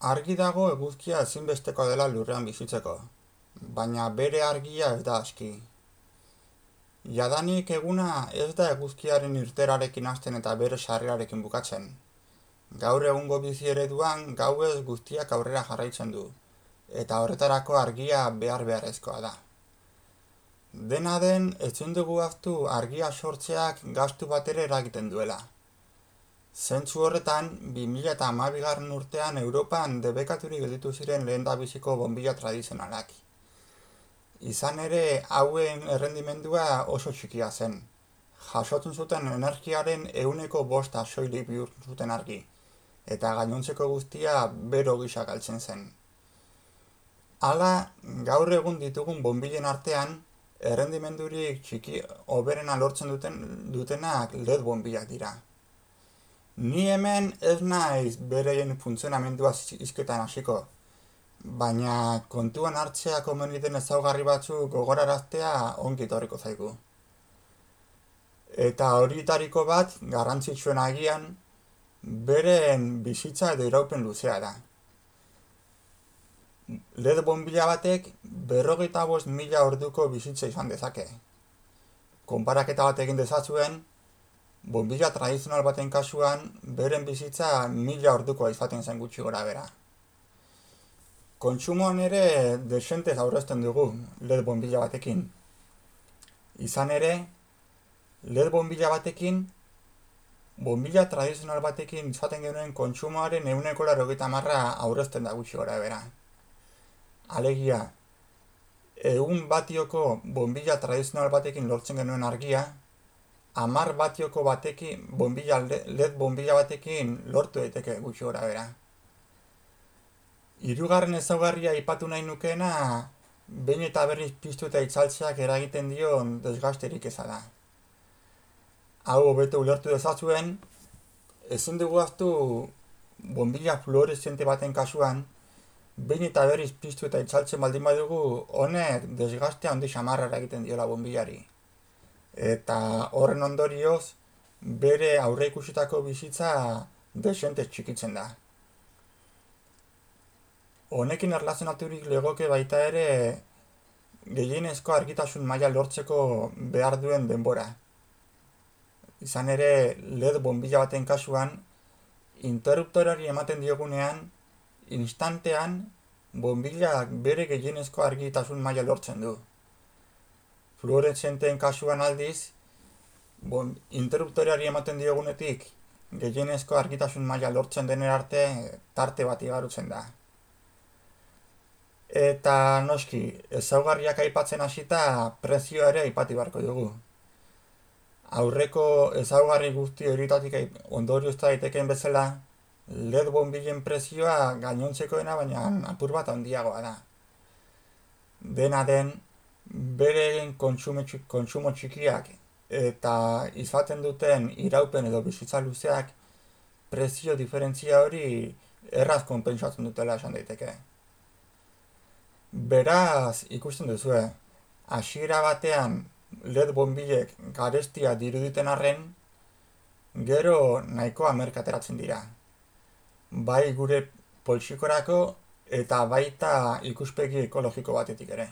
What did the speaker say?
Argi dago eguzkia ezinbestekoa dela lurrean bizitzeko, baina bere argia ez da aski. Jadanik eguna ez da eguzkiaren irteerarekin hasten eta bere sarrerarekin bukatzen. Gaur egungo bizi ereduan gauez guztiak aurrera jarraitzen du, eta horretarako argia beharrezkoa da. Dena den, ezin dugu ahaztu argia sortzeak gastu bat ere eragiten duela. Zentzu horretan, 2012 urtean Europan debekaturik gelditu ziren lehendabiziko bonbilla tradizionalak. Izan ere, hauen errendimendua oso txikia zen. Jasotzen zuten energiaren 5% soilik bihurtu zuten argi, eta gainontzeko guztia bero gisa galtzen zen. Hala, gaur egun ditugun bonbillen artean, errendimendurik txiki hoberena lortzen dutenak LED bonbillak dira. Ni hemen ez naiz bereien funtzionamendua hizketan hasiko, baina kontuan hartzea komeni den ezaugarri batzuk gogoraraztea ongi etorriko zaigu. Eta horietariko bat, garrantzitsuen agian, beren bizitza edo iraupen luzea da. LED bonbilla batek 55.000 orduko bizitza izan dezake. Konparaketa bat egin dezazuen, bonbilla tradizional baten kasuan, beren bizitza 1000 ordukoa izaten zen gutxi gora bera. Kontsumoan ere desentez aurrezten dugu LED bonbilla batekin. Izan ere, LED bonbilla batekin, bonbilla tradizional batekin izaten genuen kontsumoaren 80% aurrezten da gutxi gora bera. Alegia, 100 batioko bonbilla tradizional batekin lortzen genuen argia, 10 batioko LED bonbilla batekin lortu daiteke gutxi gora bera. Hirugarren ezaugarria aipatu nahi nukeena, behin eta berriz piztu eta itzaltzeak eragiten dion desgasterik eza da. Hau hobeto ulertu dezazuen, ezin dugu ahaztu bonbilla fluoreszente baten kasuan, behin eta berriz piztu eta itzaltzen baldin badugu, honek desgastea handi samarra eragiten diola bonbillari. Eta horren ondorioz, bere aurreikusitako bizitza desentez txikitzen da. Honekin erlazionaturik legoke baita ere gehienezko argitasun maila lortzeko behar duen denbora. Izan ere, LED bonbilla baten kasuan, interruptorari ematen diogunean, instantean, bonbillak bere gehienezko argitasun maila lortzen du. Fluoreszenteen kasuan aldiz, interruptoreari ematen diogunetik gehienezko argitasun maila lortzen denera arte tarte bat igarotzen da. Eta noski, ezaugarriak aipatzen hasita prezioa ere aipatu beharko dugu. Aurreko ezaugarri guzti horietatik ondoriozta daitekeen bezala, LED bonbillen prezioa gainontzekoena baina apur bat handiagoa da. Dena den, beren kontsumo txikiak eta izaten duten iraupen edo bizitza luzeak prezio diferentzia hori erraz konpentsatzen dutela esan daiteke. Beraz, ikusten duzue, hasiera batean LED bonbillek garestia diruditen arren, gero nahikoa merkateratzen dira. Bai gure poltsikorako eta baita ikuspegi ekologiko batetik ere.